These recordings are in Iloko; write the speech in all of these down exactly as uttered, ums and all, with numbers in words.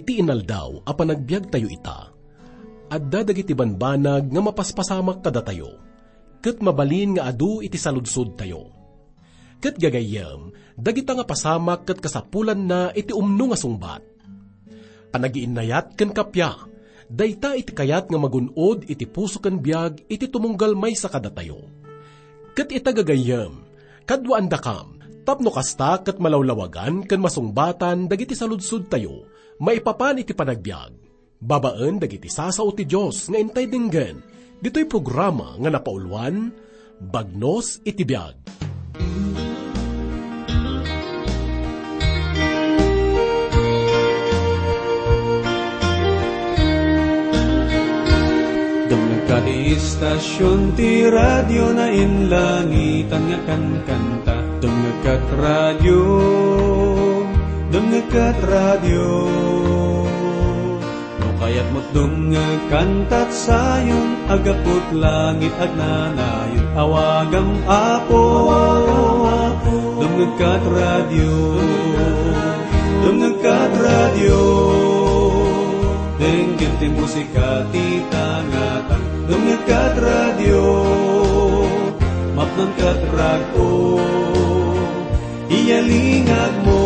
Iti inaldaw a panagbiagtayo ita, adda dagiti banbanag nga mapaspasamak kadatayo, ket mabalin nga adu iti saludsodtayo. Ket gagayyem, dagita nga pasamak ket kasapulanna iti umno nga sungbat. Panagiinnayat ken kappia, dayta iti kayat nga magun-od iti puso ken biag iti tumunggal maysa kadatayo. Ket ita gagayyem, kaduaandakam, tapno kasta ket malawlawagan ken masungbatan dagiti saludsodtayo maipapan iti panagbiag, babaen dagiti sasao ti Dios nga intay denggen, ditoy programa nga napauluan, Bagnos iti Biag. Dumngegka ti istasion ti radio na inlangitan nga kankanta. Dumngegkat radio, dumngegkat radio. No kayatmo't dumngeg kantat sayon, agaput langit agnanayon, awagam Apo, dumngegkat radio, dumngegkat radio, denggen ti musika ti tangatang, dumngegkat radio, mapnonkat rag-o. Iyalingagmo,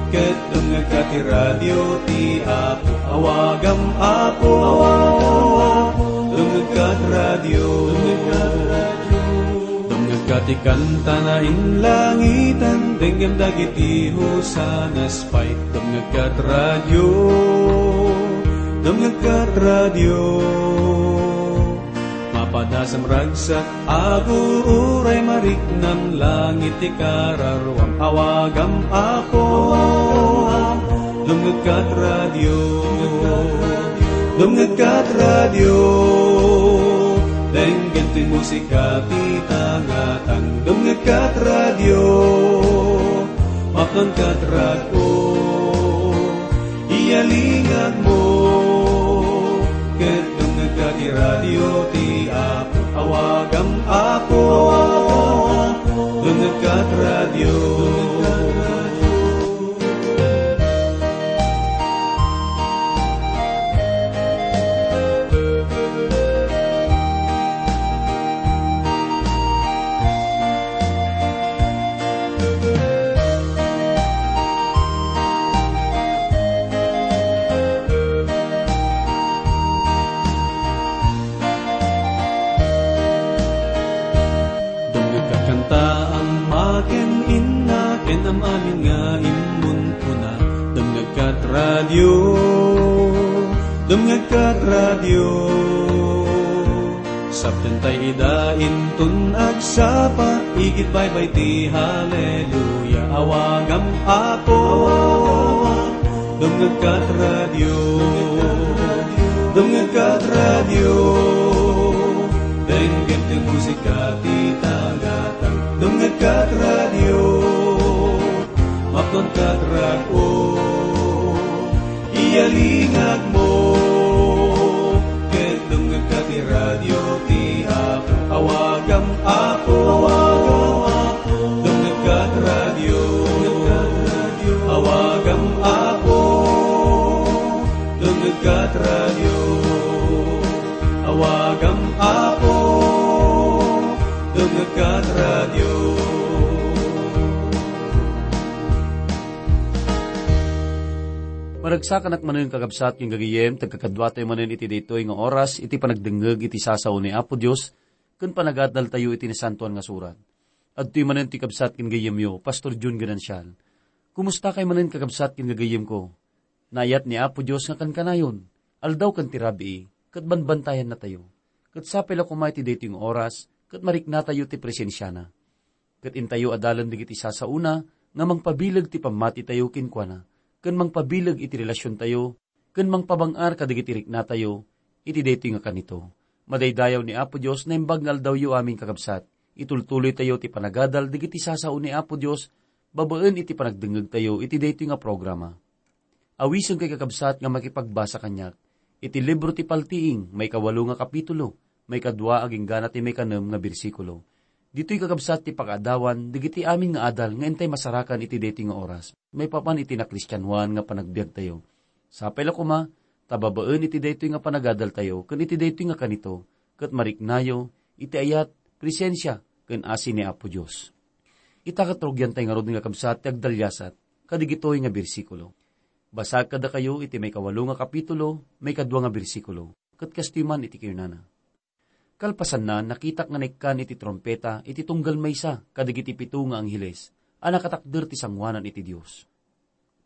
ket dumngegka ti radio ti Apo. Awagam Apo, dumngegka ti radio. Dumngegka ti kanta na inlangitan, denggem dagiti hosanas pay. Dumngegka ti radio, dumngegka ti radio. Mapadasam ragsak, aguray mariknam, langit ti kararuam, awagam Apo. Dumngegkat radio, dumngegkat radio, denggen ti musika ti tangatang. Dumngegkat radio, mapnonkat rag-o. Iyalingagmo, ket dumngegka ti radio ti Apo. Awagam Apo, dumngegka ti radio. Dumngegka kanta, ama ken inna, ken am-amin nga immunkuna. Dumngegka ti radio, dumngegka ti radio. Saptentay ida inton agsapa, igid baybay ti haleluya. Awagam Apo, dumngegka ti radio, dumngegka ti radio. Denggen ti musika ti tangatang, dumngegka ti radio, mapnonka ti rag-o. Iyalingagmo, ket dumngegka ti radio ti Apo. Awagam Apo, dumngegka ti radio. Awagam Apo, dumngegka ti radio. Awagam Apo, dumngegka ti radio. Maragsakanak manen, kakabsat ken gagayyem, ti agkakaduatayo manen iti daytoy nga oras iti panagdengngeg iti sasao ni Apo Dios ken panagadaltayo iti Nasantoan nga Surat. Adtoy manen ti kabsat ken gayyemyo, Pastor Jun Ganancial. Kumustakay manen, kakabsat ken gagayyemko? Naayat ni Apo Dios nga kankanayon, aldaw ken ti rabii, ket banbantayannatayo. Ket sapay la koma iti daytoy nga oras, ket mariknatayo ti presensiana. Ket intayo adalen dagiti sasaona nga mangpabileg ti pammatitayo kenkuana, ken mangpabileg iti relasiontayo, ken mangpabang-ar kadagiti riknatayo iti daytoy nga kanito. Madaydayaw ni Apo Dios, naimbag nga aldawyo amin, kakabsat. Itultuloytayo ti panagadal dagiti sasao ni Apo Dios babaen iti panagdengngegtayo iti daytoy nga programa. Awisenkayo, kakabsat, nga makipagbasa kaniak iti libro ti Paltiing, maikawalo nga kapitulo, maikadua agingga ti maikanem nga bersikulo. Ditoy kakabsat ti pakaadawan dagiti amin nga adal nga intay masarakan iti daytoy nga oras, maipapan iti nakristianoan nga panagbiagtayo. Sapay la koma, ta babaen iti daytoy nga panagadaltayo ken iti daytoy nga kanito, ket mariknayo iti ayat, presensia, ken asi ni Apo Dios. Ita ket rugiantay ngarud nga kabsat ti agdaliasat kadagitoy nga bersikulo. Basaek kadakayo iti maikawalo nga kapitulo, maikadua nga bersikulo, ket kastoy man iti kinunana. Kalpasanna, nakitak nga naikkan iti trumpeta iti tunggal maysa kadagiti pito nga angheles a nakatakder ti sangoanan iti Dios.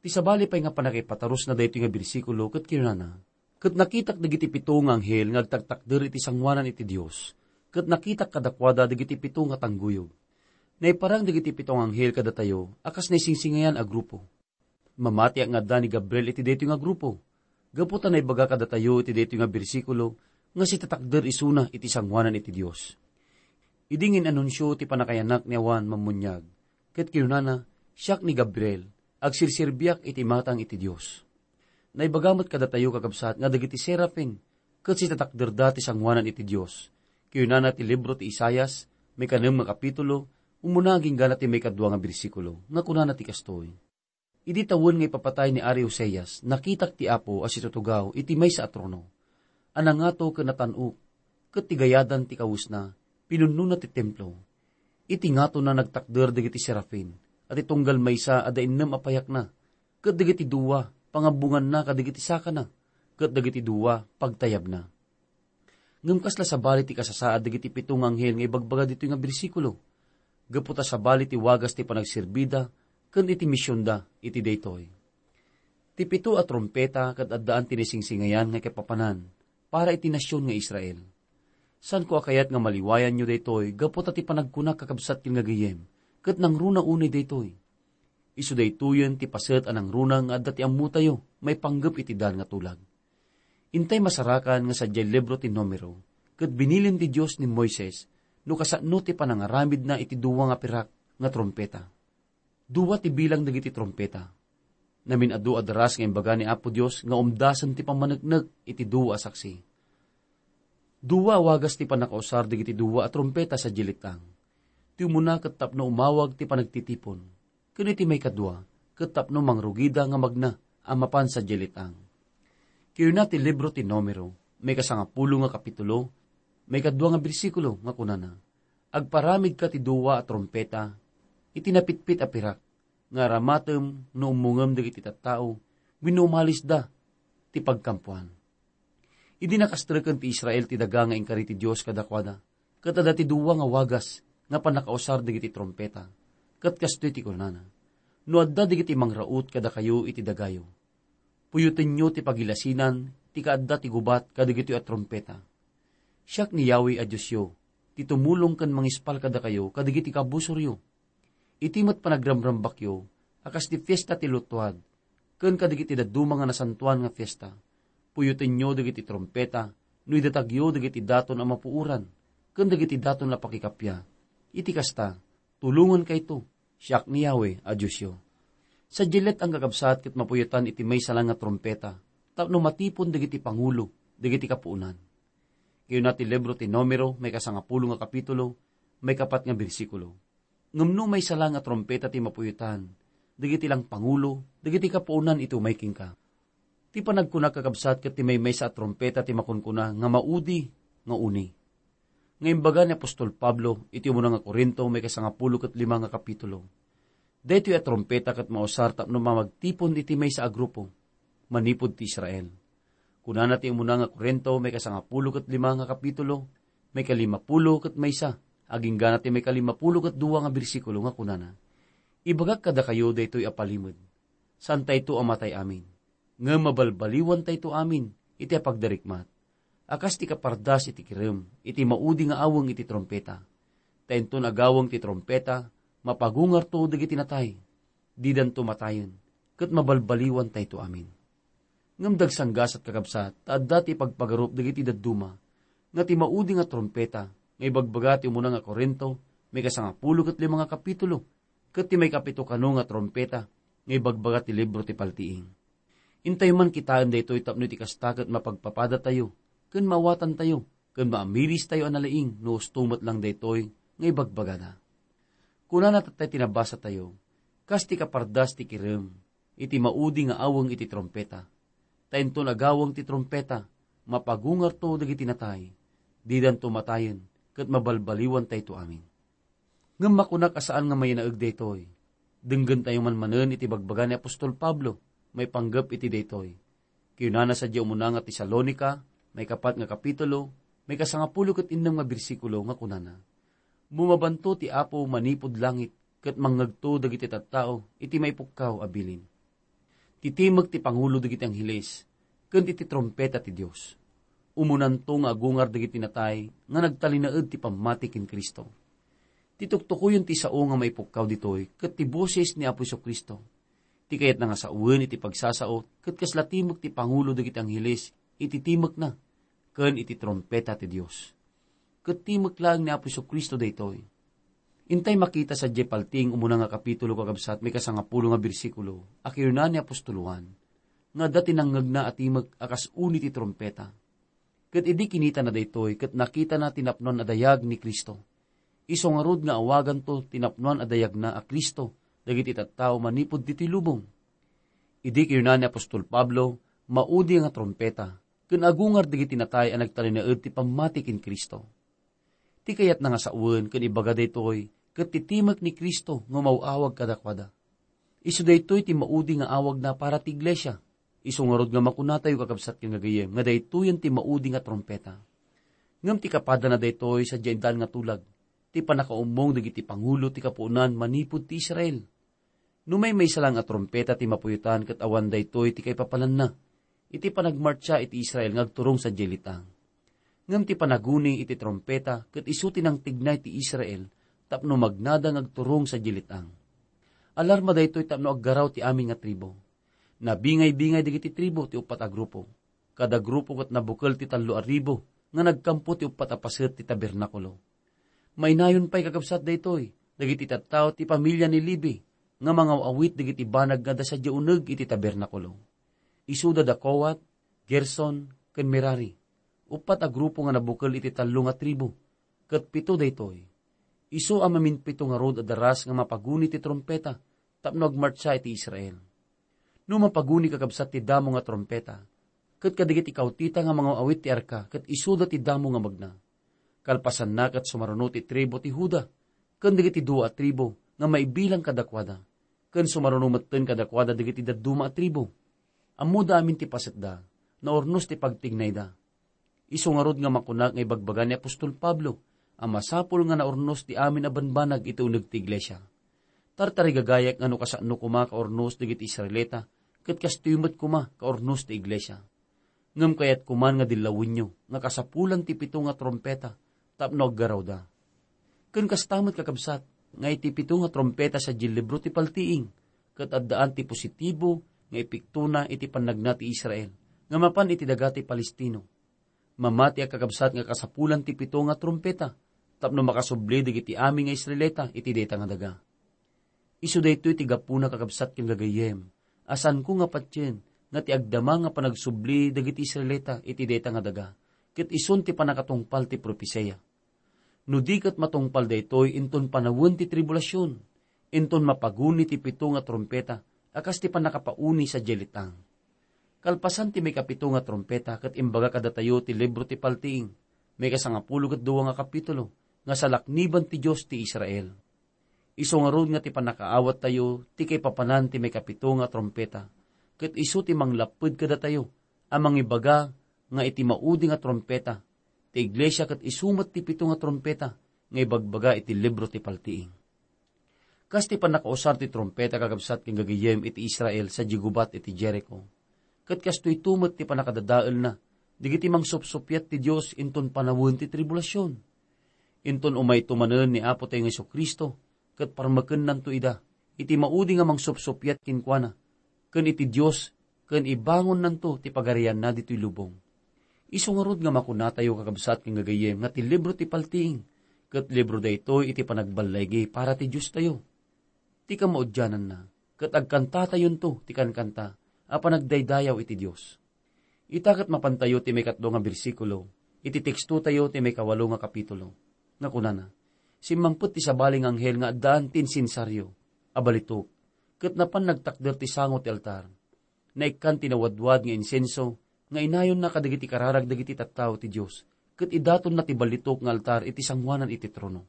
Ti sabali pay nga pannakaipatarusna daytoy nga bersikulo ket kinunana, "Ket nakitak dagiti pito nga anghel nga agtaktakder iti sangoanan iti Dios, ket nakitak kadakuada dagiti pito nga tangguyog." Naiparang dagiti pito nga anghel kadatayo a kas naisingsingayan a grupo. Mamatiak nga adda ni Gabriel iti daytoy nga grupo, gapu ta naibaga kadatayo iti daytoy nga bersikulo nga sitatakder isuna iti sangoanan iti Dios. Idi ngin-anunsio ti pannakayanak ni Juan Mammuniag, ket kinunana, "Siak ni Gabriel, agserserbiak iti imatang iti Dios." Naibaga met kadatayo, kakabsat, nga dagiti serafin ket sitatakderda ti sangoanan iti Dios. Kinunana ti libro ti Isaias, maikanem nga kapitulo, umuna agingga ti maikadua nga bersikulo, nga kunana ti kastoy, "Idi tawen nga ipapatay ni Ari Oseas, nakitak ti Apo a situtugaw iti maysa a trono, a nangato ken natan-ok, ket ti gayadan ti kawesna, pinunnona ti templo. Iti ngatona nagtakder dagiti serafin, a ti tunggal maysa adda innem a payakna, ket dagiti dua, pangabbonganna kadagiti sakana, ket dagiti dua, pagtayabna." Ngem kasla sabali ti kasasaad dagiti pito nga anghel nga ibagbaga ditoy nga bersikulo, gapu ta sabali ti wagas ti panagserbida ken iti misionda iti daytoy. Ti pito a trumpeta ket addaan ti naisingsingayan nga kaipapanan para iti nasion nga Israel. Saanko a kayat nga maliwayanyo daytoy gapu ta ti panagkunak, kakabsat ken nga gayyem, ket nangruna unay daytoy. Isu daytoyen ti paset a nangruna nga adda ti ammotayo maipanggep iti dan nga tulag. Intay masarakan nga sadiay libro ti Numero, ket binilin ti Dios ni Moises no kasano ti panangaramidna iti dua nga pirak nga trumpeta. Dua ti bilang dagiti trumpeta. Namin-adu a daras nga imbaga ni Apo Dios nga umdasen ti pammaneknek iti dua a saksi. Dua a wagas ti pannakausar dagiti dua a trumpeta sadiay let-ang. Ti umuna ket tapno umawag ti panagtitipon, ken iti maikadua ket tapno mangrugida nga magna a mapan sadiay let-ang. Kinuna ti libro ti Numero, maikasangapulo nga kapitulo, maikadua nga bersikulo, nga kunana, "Agparamidka ti dua a trumpeta iti napitpit a pirak, nga aramatem no ummongem dagiti tattao wenno umalisda ti pagkampuan." Idi nakastreken ti Israel ti daga nga inkari ti Dios kadakuada, ket adda ti dua nga wagas nga pannakausar dagiti trumpeta, ket kastoy ti kunana, "No adda dagiti mangraut kadakayo iti dagayo, puyotenyo ti pagilasinan ti kaadda ti gubat kadagitoy a trumpeta. Siak ni Yahweh a Diosyo, ti tumulong ken mangispal kadakayo kadagiti kabusoryo. Iti met panagramrambakyo a kas ti fiesta ti Luttuad, ken kadagiti dadduma nga nasantoan nga fiesta, puyotenyo dagiti trumpeta no idatagyo dagiti daton a mapuoran ken dagiti daton a pakikappia. Iti kasta, tulongenkayto, siak ni Yahweh a Diosyo." Sadiay let-ang, kakabsat, ket mapuyotan iti maysa laeng nga trumpeta tapno matipon dagiti pangulo dagiti kapuonan. Kinuna ti libro ti Numero, maikasangapulo nga kapitulo, maikapat nga bersikulo, "Ngem no maysa la nga trumpeta ti mapuyotan dagiti laeng pangulo dagiti kapuonan iti umay kenka." Ti panagkuna, kakabsat, ket ti maymaysa a trumpeta ti makunkuna nga maudi nga uni. Nga imbaga ni apostol Pablo iti umuna nga Corinto, maikasangapulo ket lima nga kapitulo, "Daytoy a trumpeta ket mausar tapno mamagtipon iti maysa a grupo manipud ti Israel." Kunana ti umuna nga Corinto, maikasangapulo ket lima nga kapitulo, maikalimapulo ket maysa, aginggana ti maikalimapulo ket dua nga bersikulo, nga kunana, "Ibagak kadakayo daytoy a palimed, saantayto a matay amin, ngem mabalbaliwantayto amin iti apagdarikmat, a kas ti kapardas iti kirem iti maudi nga aweng iti trumpeta. Ta inton agaweng ti trumpeta, mapagungarto dagiti natay, didanto matayen, ket mabalbaliwantayto amin." Ngem dagsanggasat, kakabsat, ta adda ti ipagpagarup dagiti dadduma nga ti maudi nga trumpeta nga ibagbaga ti umuna nga Corinto, maikasangapulo ket lima nga kapitulo, ket ti maikapito kano nga trumpeta nga ibagbaga ti libro ti Paltiing. Intayo man kitaen daytoy tapno iti kasta ket mapagpapadatayo ken maawatantayo ken maamiristayo a nalaing no usto met lang daytoy nga ibagbagada. Kunana tattay ti nabasatayo, kas ti kapardas ti kirem iti maudi nga aweng iti trumpeta. Ta inton agaweng ti trumpeta, mapagungarto dagiti natay, didanto matayen, ket mabalbaliwantayto amin. Ngem makunak a saan nga maynaeg daytoy. Denggentayo man manen iti bagbaga ni apostol Pablo maipanggep iti daytoy. Kinunana sadiay umuna nga Tesalonica, maikapat nga kapitulo, maikasangapulo ket innem nga bersikulo nga kunana, "Bumabanto ti Apo manipud langit ket mangngegto dagiti tattao iti maipukkaw a bilin." Titimek ti pangulo dagiti angheles ken iti trumpeta ti Dios. Umunanto nga agungar dagiti natay nga nagtalinaed ti pammati ken Cristo. Ti tuktukoyen ti sao nga maipukkaw ditoy ket ti boses ni Apo Jesu-Cristo. Ti kayatna nga sawen iti pagsasao ket kasla timek ti pangulo dagiti angheles iti timekna ken iti trumpeta ti Dios. Ket timek laeng ni Apo Jesu-Cristo daytoy. Intay makita sadiay paltiing umuna nga kapitulo, kakabsat, maikasangapulo nga bersikulo, a kinuna ni apostol Juan, nga adda ti nangngegna a timek a kas uni ti trumpeta. Ket idi kinitana daytoy, ket nakitana ti napnoan a dayag ni Cristo. Isu ngarud nga awaganto ti napnoan a dayagna a Cristo dagiti tattao manipud ditoy lubong. Idi kinuna ni apostol Pablo, "Maudi nga trumpeta, ken agungar dagiti natay a nagtalinaed ti pammati ken Cristo." Ti kayatna nga sawen ken ibaga daytoy ket ti timek ni Cristo nga umaw-awag kadakuada. Isu daytoy ti maudi nga awagna para ti iglesia. Isu ngarud nga makunatayo, kakabsat ken gagayyem, nga daytoyen ti maudi nga trumpeta. Ngem ti kapadana daytoy sadiay intan nga tulag, ti pannakaummong dagiti pangulo ti kapuonan manipud ti Israel. No maymaysa lang a trumpeta ti mapuyotan ket awan daytoy ti kaipapalanna, iti panagmartsa iti Israel nga agturong sadiay let-ang. Ngem ti panaguni iti trumpeta ket isu ti nangtignay ti Israel tapno magnada nga agturong sadiay let-ang. Alarma daytoy tapno aggaraw ti amin nga tribu. Nabingay-bingay dagiti tribu ti uppat a grupo. Kada grupo ket nabukel ti tallo a ribu nga nagkampo ti uppat a paset ti tabernakulo. Mainayon pay, kakabsat, daytoy dagiti tattao ti pamilia ni Levi nga mangaw-awit dagiti banag nga adda sadiay uneg iti tabernakulo. Isuda da Kohat, Gerson, ken Merari. Uppat a grupo nga nabukel iti tallo nga tribu, ket pito daytoy. Isu a maminpito ngarud a daras nga mapaguni ti trumpeta tapno agmartsa iti Israel. No mapaguni, kakabsat, ti damo nga trumpeta, ket kadagiti kawtita nga mangaw-awit ti arka ket isuda ti damo nga magna. Kalpasanna ket sumaruno ti tribu ti Juda, ken dagiti dua a tribu nga maibilang kadakuada, ken sumaruno metten kadakuada dagiti dadduma a tribu. Ammoda amin ti pasetda, naurnos ti pagtignayda. Isu ngarud nga makunak nga ibagbaga ni apostol Pablo a masapul nga naurnos ti amin a banbanag iti uneg ti iglesia. Tartarigagayak nga no kasano koma kaurnos dagiti Israelita, ket kastoy met koma kaurnos ti iglesia. Ngem kayatko man nga dillawenyo nga kasapulan ti pito nga trumpeta tapno aggarawda. Ken kasta met, kakabsat, nga iti pito nga trumpeta sadiay libro ti Paltiing, ket addaan ti positibo nga epektona iti pannagna ti Israel nga mapan iti daga ti Palestino. Mamati a, kakabsat, nga kasapulan ti pito nga trumpeta tapno makasubli dagiti amin nga Israelita iti dayta nga daga. Isu daytoy ti gapuna, kakabsat ken gagayyem, a saanko nga patien nga ti agdama nga panagsubli dagiti Israelita iti dayta nga daga, ket isun ti pannakatungpal ti propesia. No di ket matungpal daytoy inton panawen ti tribulasion, inton mapaguni ti pito nga trumpeta a kas ti pannakapauni sadiay let-ang. Kalpasan ti maikapito nga trumpeta ket imbaga kadatayo ti libro ti Paltiing, maikasangapulo ket dua nga kapitulo, nga salakniban ti Dios ti Israel. Isu ngarud nga ti pannakaawattayo ti kaipapanan ti maikapito nga trumpeta, ket isu ti manglapped kadatayo a mangibaga nga iti maudi nga trumpeta, ti iglesia ket isu met ti pito nga trumpeta nga ibagbaga iti libro ti Paltiing. Kas ti pannakausar ti trumpeta, kakabsat ken gagayyem, iti Israel sadiay gubat iti Jericho, ket kastoyto met ti pannakadadaelna dagiti mangsupsuppiat ti Dios inton panawen ti tribulasion. Inton umayto manen ni Apotayo nga Jesu-Cristo, ket parmekennanto ida iti maudi nga mangsupsuppiat kenkuana, ken iti Dios, ken ibangonnanto ti pagarianna ditoy lubong. Isu ngarud nga makunatayo, kakabsat ken gagayyem, nga ti libro ti Paltiing ket libro daytoy iti panagballaygi para ti Diostayo. Ti kamaudiananna, ket agkantatayonto ti kankanta a panagdaydayaw iti Dios. Ita ket mapantayo ti maikatlo nga bersikulo iti tekstotayo ti maikawalo nga kapitulo, nga kunana, Simmampet ti sabali nga anghel nga addaan ti insensario a balitok, ket napan nagtakder ti sango ti altar. Naikkan ti nawadwad nga insenso nga inayonna kadagiti kararag dagiti tattao ti Dios, ket idatonna ti balitok nga altar iti sangoanan iti trono.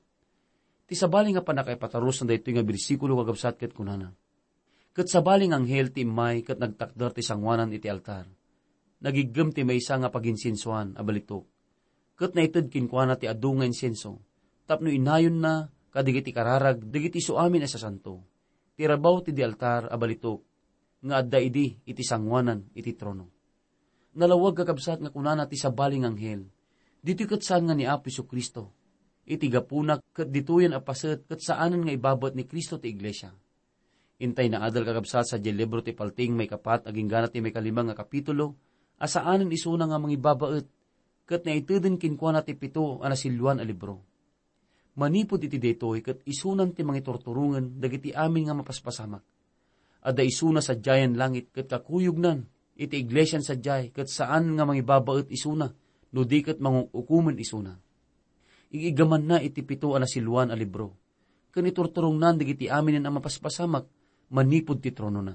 Ti sabali nga pannakaipatarusna daytoy nga bersikulo, kakabsat, ket kunana, "Ket sabali nga anghel ti immay ket nagtakder ti sangoanan iti altar. Nagiggem ti maysa nga paginsensoan a balitok, ket naited kenkuana ti adu nga insenso, tapno inayonna kadagiti kararag dagiti isuamin a sasanto, ti rabaw ti di altar a balitok nga adda idi iti sangoanan iti trono." Nalawag, kakabsat, nga kunana ti sabali nga anghel, "Ditoy ket saan nga ni Apo Jesu-Cristo. Iti gapuna ket ditoyen a paset ket saanen nga ibabaet ni Cristo ti iglesia." Intay naadal, kakabsat, sadiay libro ti Paltiing maikapat agingga na ti maikalima nga kapitulo, a saanen isuna nga mangibabaet, ket naiteden kenkuana ti pito a nasilluan a libro. Manipud iti daytoy ket isunan ti mangiturturongen dagiti amin nga mapaspasamak. Adda isuna sadiayen langit ket kakuyognan iti iglesian sadiay ket saan nga mangibabaet isuna no di ket mangukumen isuna. Ig-igamanna iti pito a nasilluan a libro, ken iturturongnan dagiti aminen a mapaspasamak manipud ti tronona.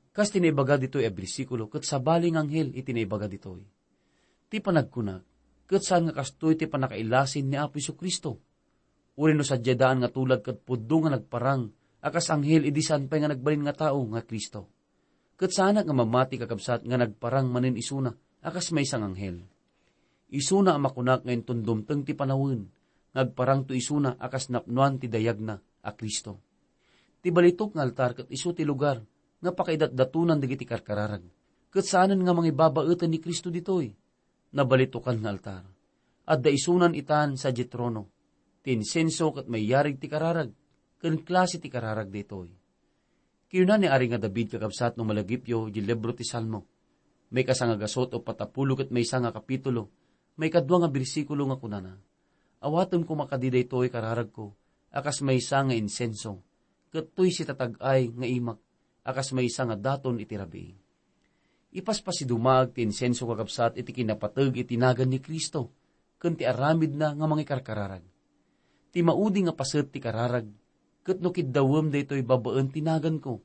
Kas ti naibaga ditoy a bersikulo, ket sabali nga anghel iti naibaga ditoy. Ti panagkunak, ket saan nga kastoy ti pannakailasin ni Apo Jesu-Cristo. Uray no sadiay daan nga tulag ket pudno nga nagparang a kas anghel idi saan pay nga nagbalin nga tao nga Cristo. Ket saanak nga mamati, kakabsat, nga nagparang manen isuna a kas maysa nga anghel. Isuna a makunak nga inton dumteng ti panawen nga agparangto isuna a kas napnoan ti dayagna a Cristo. Ti balitok nga altar ket isu ti lugar nga pakaidatdatonan dagiti karkararag, ket saanen nga mangibabaeten ni Cristo ditoy. Nabalitokan nga altar. Adda isunan itan sadiay trono, ti insenso ket mayarig ti kararag, ken klase ti kararag daytoy. Kinuna ni Ari nga David, kakabsat, no malagipyo, di libro ti Salmo, maikasanga gasut o patapulo ket maysa nga kapitulo, maikadua nga bersikulo nga kunana, "Awatem koma kadi daytoy kararagko a kas maysa nga insenso, ket toy sitatag-ay nga imak a kas maysa nga daton iti rabii." Ipaspasidumaag ti insenso, kakabsat, iti kinapateg iti nagan ni Cristo ken ti aramidna nga mangikarkararag. Ti maudi nga paset ti kararag, ket no kiddawem daytoy babaen ti naganko.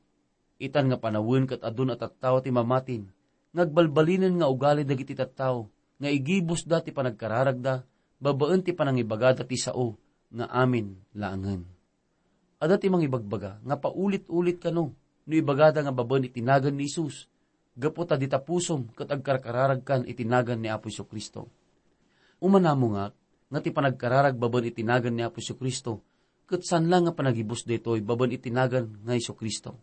Itan nga panawen ket adun a tattao ti mamatin, nga agbalbalinen nga ugali dagiti tattao nga igibusda ti panagkararagda babaen ti panangibagada ti sao nga amin laengen. Adda ti mangibagbaga nga paulit-ulit kano no ibagada nga babaen iti nagan ni Jesus, gapu ta dita pusom ket agkarkararagkan iti nagan ni Apo Jesu-Cristo. Umanamongak nga ti panagkararag babaen iti nagan ni Apo Jesu-Cristo, ket saan la nga panagibus daytoy babaen iti nagan nga Jesu-Cristo.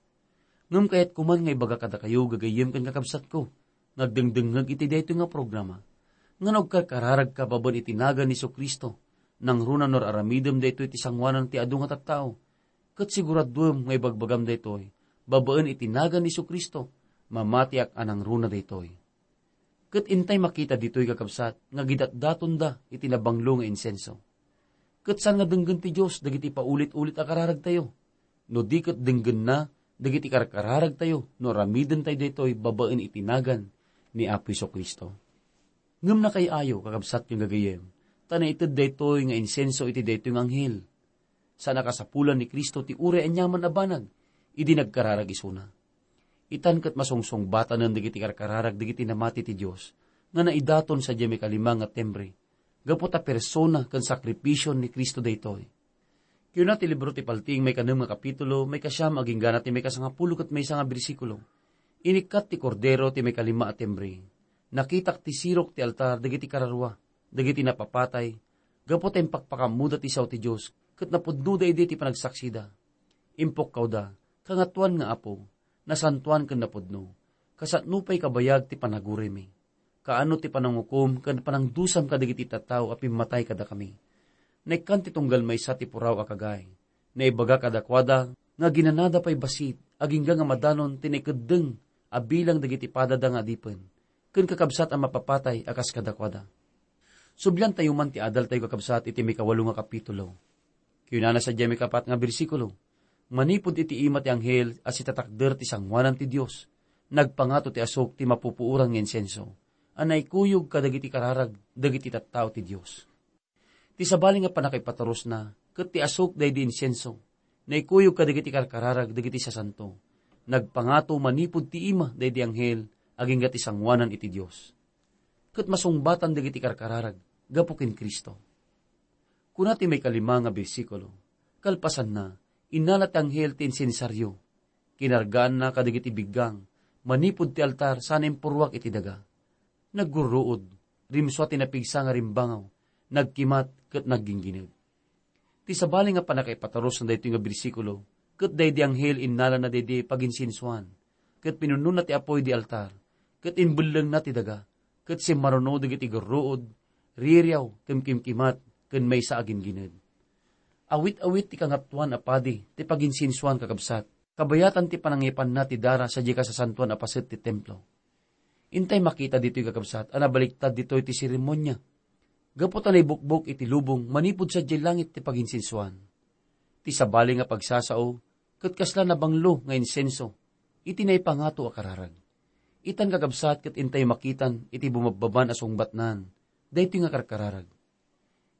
Ngem kayat koman nga ibaga kadakayo, gagayyem ken kakabsatko, nga agdengdengngeg iti daytoy nga programa, nga no agkarkararagka babaen iti nagan ni Jesu-Cristo, nangruna no ar-aramidem daytoy ti sangoanan ti adu nga tattao, ket siguraduem nga ibagbagam daytoy, babaen iti nagan ni Jesu-Cristo, mamatiak a nangruna daytoy. Ket intay makita ditoy, kakabsat, nga gidatdatonda iti nabanglo nga insenso. Ket saan nga denggen ti Dios dagiti paulit-ulit a kararagtayo, no di ket denggenna dagiti karkararagtayo no aramidentayo daytoy babaen iti nagan ni Apo Jesu-Cristo. Ngem nakay-ayo, kakabsat ken gagayyem, ta naited daytoy nga insenso iti daytoy nga anghel. Saan a kasapulan ni Cristo ti uray aniaman a banag idi nagkararag isuna. Itan ket masungsungbatanen dagiti karkararag dagiti namati ti Dios nga naidaton sadiay maikalima nga timbre, gapu ta persona ken sakripisio ni Cristo daytoy. Kiuna ti libro ti Paltiing maikanem nga kapitulo, maikasiam agingga na ti maikasangapulo ket maysa nga bersikulo, "Inikkat ti Kordero ti maikalima a timbre. Nakitak ti sirok ti altar dagiti kararua, dagiti napapatay, gapu ta impakpakammoda ti sao ti Dios, ket napudnoda idi ti panagsaksida. Impukkawda, 'Kangatoan nga Apo, nasantoan ken napudno, kasano pay kabayag ti panaguraymi? Kaano ti panangukom ken panangdusam kadagiti tattao a pimmatay kadakami?' Naikkan ti tunggal maysa ti puraw a kagay. Naibaga kadakuada nga ginanada pay bassit, agingga nga madanon ti naikeddeng a bilang dagiti padada nga adipen, ken kakabsat a mapapatay a kas kadakuada." Subliantayo man ti adaltayo, kakabsat, iti maikawalo nga kapitulo. Kinunana sadiay maikapat nga bersikulo, "Manipud iti ima ti anghel a sitatakder ti sangoanan ti Dios, nagpangato ti asuk ti mapupuoran nga insenso, a naikuyog kadagiti kararag dagiti tattao ti Dios." Ti sabali nga pannakaipatarusna, ket ti asuk daydi insenso, naikuyog kadagiti karkararag dagiti sasanto. Nagpangato manipud ti ima daydi anghel agingga ti sangoanan iti Dios. Ket masungbatan dagiti karkararag gapu ken Cristo. Kuna ti maikalima nga bersikulo, kalpasanna, innala ti anghel ti insensario. Kinargaanna kadagiti biggang manipud ti altar sana impurruak iti daga. Naggurruod, rimsua ti napigsa nga rimbangaw, nagkimat ket nagginggined. Ti sabali nga pannakaipatarusna daytoy nga bersikulo, ket daydi anghel innalana daydi paginsensuan, ket pinunnona ti apuy di altar, ket imbellengna ti daga, ket simmaruno dagiti gurruod, ririaw, kimkimkimat, ken maysa a ginggined. Awit-awit ti Kangatoan a Padi ti paginsensuan, kakabsat, kabayatan ti panangipanna ti dara sadiay kasasantoan a paset ti templo. Intay makita ditoy, kakabsat, a nabaliktad ditoy ti seremonia. Gapu ta naibukbok iti lubong manipud sadiay langit ti paginsensuan. Ti sabali nga pagsasao, ket kasla nabanglo nga insenso iti naipangato a kararag. Itan, kakabsat, ket intay makitan iti bumabbaban a sungbatnan daytoy nga karkararag.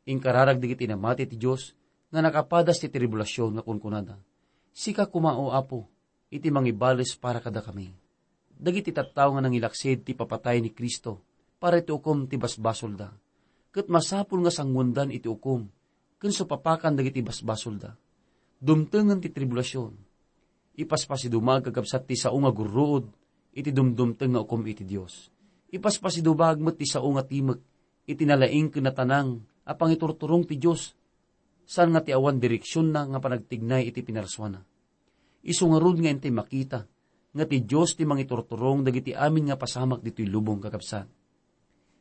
Inkararag dagiti namati ti Dios nga nakapadas ti tribulasion nga kunkunada, "Sika koma, O Apo, iti mangibales para kadakami." Dagiti tattao nga nangilaksid ti papatay ni Cristo para iti ukom ti basbasolda, ket masapul nga sanguendan iti ukom ken supapakan dagiti basbasolda. Dumtengen ti tribulasion. Ipaspasidumaag, kakabsat, ti sao nga gurruod iti dumdumteng nga ukom iti Dios. Ipaspasidumaag met ti sao nga timek iti nalaing ken natanang a pangiturturong ti Dios, saan nga ti awan direksionna nga panagtignay iti pinarsuana. Isu ngarud nga intay makita nga ti Dios ti mangiturturong dagiti amin nga pasamak ditoy lubong, kakabsat.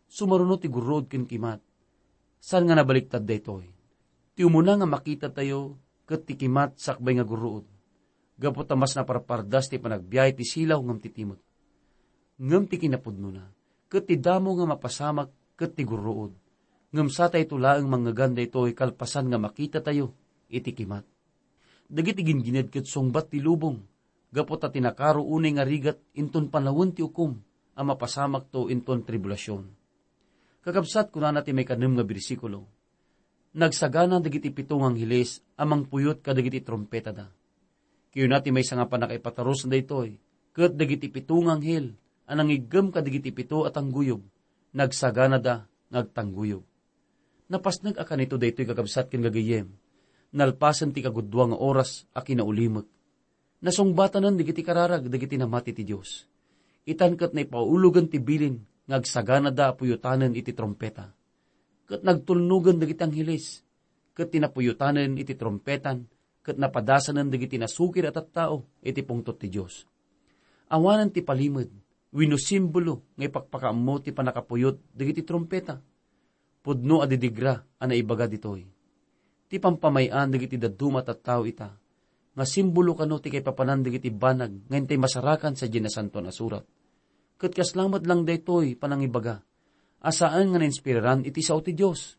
Sumaruno ti gurruod ken kimat. Saan nga nabaliktad daytoy? Ti umuna nga makitatayo ket ti kimat sakbay nga gurruod, gapu ta mas naparpardas ti panagbiay ti silaw ngem ti timek. Ngem ti kinapudnona, ket ti damo nga mapasamak ket ti gurruod. Ngem satayto laeng manngegan daytoy kalpasan nga makitatayo iti kimat. Dagiti ginggined ket sungbat ti lubong, gapu ta ti nakaro unay nga rigat inton panawen ti ukom a mapasamakto inton tribulasion. Kakabsat, kunana ti maikanem nga bersikulo, "Nagsagana dagiti pito nga angheles a mangpuyot kadagiti trumpetada." Kayuna ti maysa nga pannakaipatarusna daytoy, ket dagiti pito nga anghel a nangiggem kadagiti pito a tangguyob, nagsaganada nga agtangguyob. Napasnek a kanito daytoy, kakabsat ken gagayyem, nalpasen ti kagudua nga oras a kinaulimek. Nasungbatanen dagiti kararag dagiti namati ti Dios. Itan ket naipaulogen ti bilin nga agsaganada a puyotanen iti trumpeta. Ket nagtulnogen dagiti angheles, ket ti napuyotanen iti trumpetan ket napadasanen dagiti nasukir a tattao iti pungtot ti Dios. Awanen ti palimed wenno simbolo nga ipakpakaammo ti pannakapuyot dagiti trumpeta. Pudno a didigra a naibaga ditoy. Ti pampamay-an dagiti dadduma a tattao ita, nga simbolo kano ti kaipapanan dagiti banag nga intay masarakan sadiay Nasantoan a Surat. Ket kasla met lang daytoy panangibaga a saan nga nainspiraran iti sao ti Dios.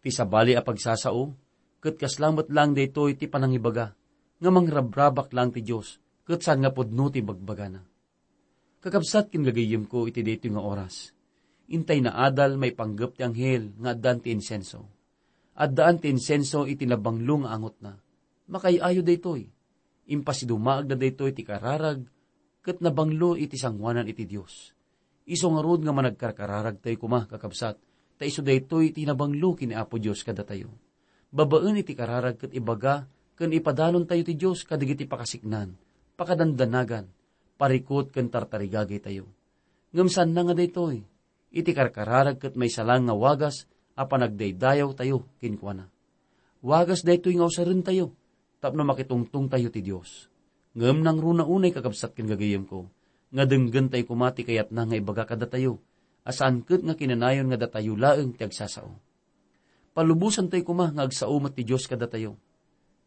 Ti sabali a pagsasao, ket kasla met lang daytoy ti panangibaga nga mangrabrabak lang ti Dios, ket saan nga pudno ti bagbagana. Kakabsat ken gagayyemko iti daytoy nga oras, intay naadal maipanggep ti anghel nga addan ti insenso. Addaan ti insenso iti nabanglo nga angotna. Makaay-ayo daytoy. Impasidumaagda daytoy ti kararag ket nabanglo iti sangoanan iti Dios. Isu ngarud nga managkarkararagtayo koma, kakabsat, ta isu daytoy ti nabanglo ken ni Apo Dios kadatayo. Babaen iti kararag ket ibaga ken ipadanontayo ti Dios kadagiti pakasiknan, pakadandanagan, parikut ken tartarigagaytayo. Ngem saanna nga daytoy, iti karkararag ket maysa lang nga wagas a panagdaydayawtayo kenkuana. Wagas daytoy nga usarentayo tapno makitungtongtayo ti Dios. Ngem nangruna unay, kakabsat ken gagayyemko, nga denggentayo koma ti kayatna nga ibaga kadatayo, a saan ket nga kinanayon nga datayo laeng ti agsasao. Palubosantayo koma nga agsao met ti Dios kadatayo.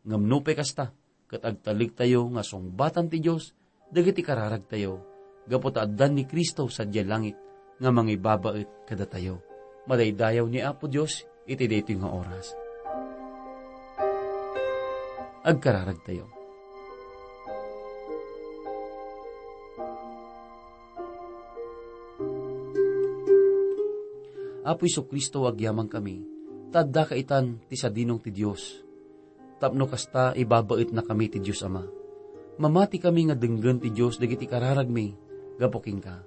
Ngem nupay kasta, ket agtalektayo nga sungbatan ti Dios dagiti kararagtayo, gapu ta addan ni Cristo sadiay langit nga mangibabaet kadatayo. Madaydayaw ni Apo Dios iti daytoy nga oras. Agkararagtayo. Apo Jesu-Cristo, agyamankami, ta addaka itan ti sadinong ti Dios. Tapno kasta, ibabaetnakami ti Dios Ama. Mamatikami nga denggen ti Dios dagiti kararagmi gapu kenka.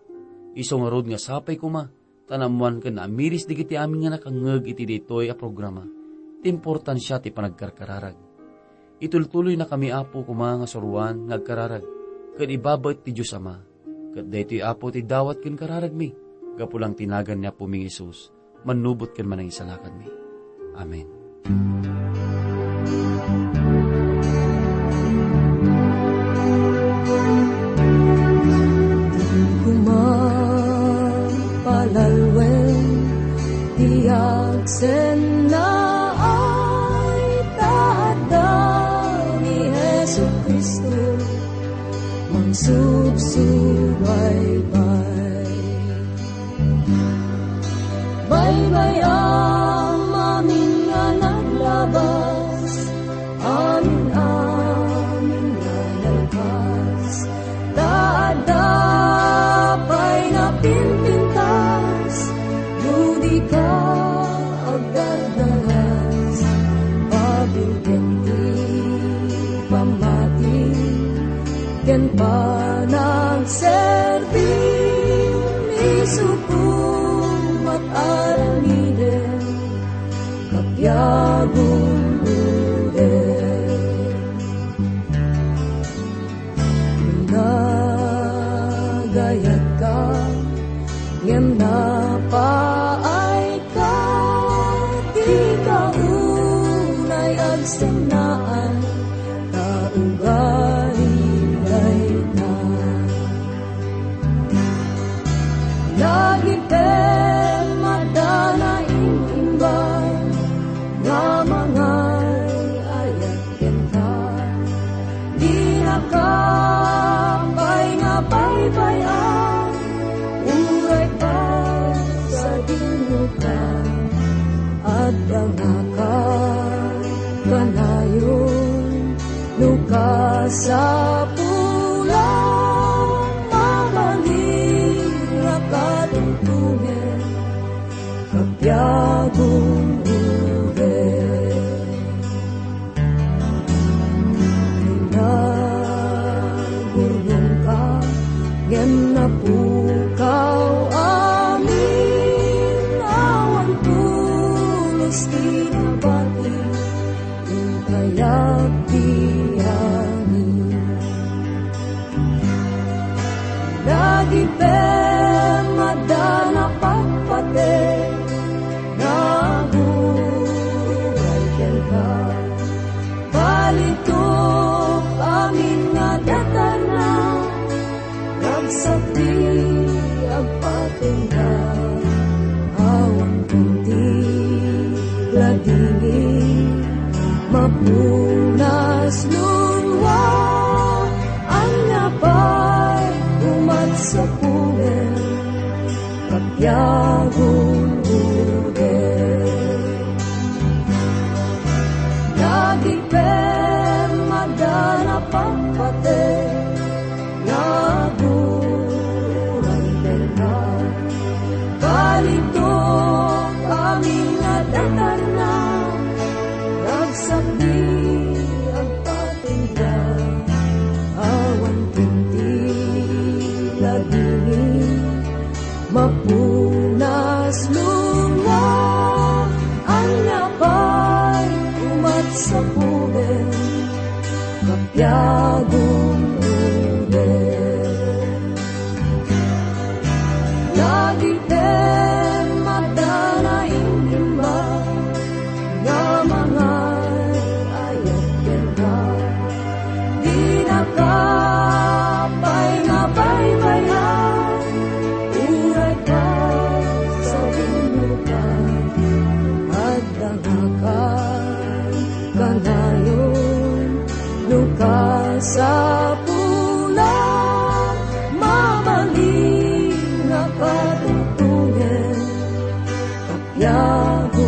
Isu ngarud nga sapay koma, ta naammoan ken naamiris dagiti amin nga nakangngeg iti daytoy a programa ti importansia ti panagkarkararag. Itultuloynakami, Apo, koma nga suroan nga agkararag ken ibabaet ti Dios Ama. Ket daytoy, Apo, ti dawat ken kararagmi gapu lang ti nagan ni Apomi nga Jesus, mannubot ken manangisalakanmi. Amen. Koma palalwen ti agsennaay, ta adda ni Jesu-Cristo mangsubsubaybay. Baybay-am amin nga naglabas, amin-amin nga nalpas, ta adda pay nga pimpintas, no di ka agdardanas, pabilgen ti pammati ken panagserbi, isu koma met aramiden, kabiagom guden. Nagayat ka, ngem napaay ka, di ka unay agsennaan, ta ugali dayta. Lagipem adda naim-imbag nga mangay-ayat kenka. Dinaka pay nga baybay-an, uray pagsadinoka. Adda nga kanayon, no kasapulan, mabalin nga katungtongen, kabiagom guden. Nagurnongka, ngem napukaw amin, awan pulos ti nabati, inkayat ti amin. Lagipem adda napatpateg nga aguray kenka. Balitok amin nga datarna, ragsak ti agpatengda. Awan kunti ladingit, mapunas nunua, ania pay umat sa pumen, kabiagom guden. Lagipem adda napatpateg nga aguray kenka. Balitok amin nga datarna, ragsak ti agpatengda. Awan kunti ladingit, mapunas nunua, ania pay umat sa pumen, kabiagom guden. Lagipem adda naim-imbag nga mangay-ayat kenka. Dinaka pay nga baybay-an, uray pagsadinoka. Adda nga kanayon, no kasapulan, mabalin nga katungtongen, kabiagom